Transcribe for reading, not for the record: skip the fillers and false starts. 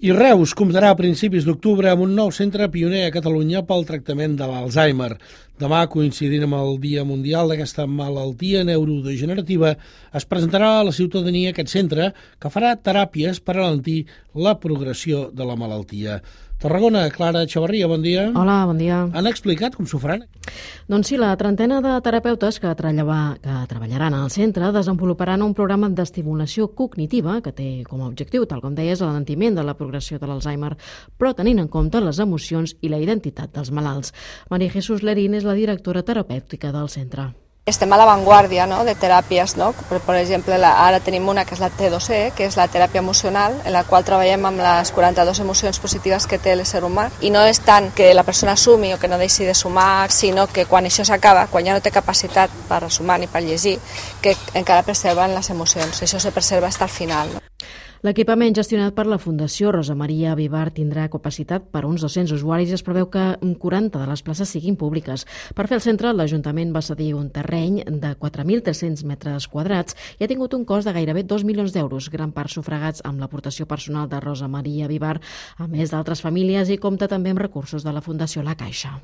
I Reus comptarà a principis d'octubre amb un nou centre pioner a Catalunya pel tractament de l'Alzheimer. Demà, coincidint amb el Dia Mundial d'aquesta malaltia neurodegenerativa, es presentarà a la ciutadania aquest centre que farà teràpies per alentir la progressió de la malaltia. Tarragona, Clara Xavarria, bon dia. Hola, bon dia. Han explicat com s'ho faran? Doncs sí, la trentena de terapeutes que treballaran al centre desenvoluparan un programa d'estimulació cognitiva que té com a objectiu, tal com deies, l'alentiment de la progressió de l'Alzheimer, però tenint en compte les emocions i la identitat dels malalts. María Jesús Lerín és la directora terapèutica del centre. Estem a l'avantguàrdia, no?, de teràpies, no? Per exemple, ara tenim una que és la T2E, que és la teràpia emocional, en la qual treballem amb les 42 emocions positives que té l'ésser humà, i no és tant que la persona sumi o que no deixi de sumar, sinó que quan això s'acaba, quan ja no té capacitat per sumar ni per llegir, que encara preserven les emocions. Això se preserva fins al final, no? L'equipament gestionat per la Fundació Rosa Maria Vivar tindrà capacitat per uns 200 usuaris i es preveu que 40 de les places siguin públiques. Per fer el centre, l'Ajuntament va cedir un terreny de 4.300 metres quadrats i ha tingut un cost de gairebé 2 milions d'euros, gran part sufragats amb l'aportació personal de Rosa Maria Vivar, a més d'altres famílies, i compta també amb recursos de la Fundació La Caixa.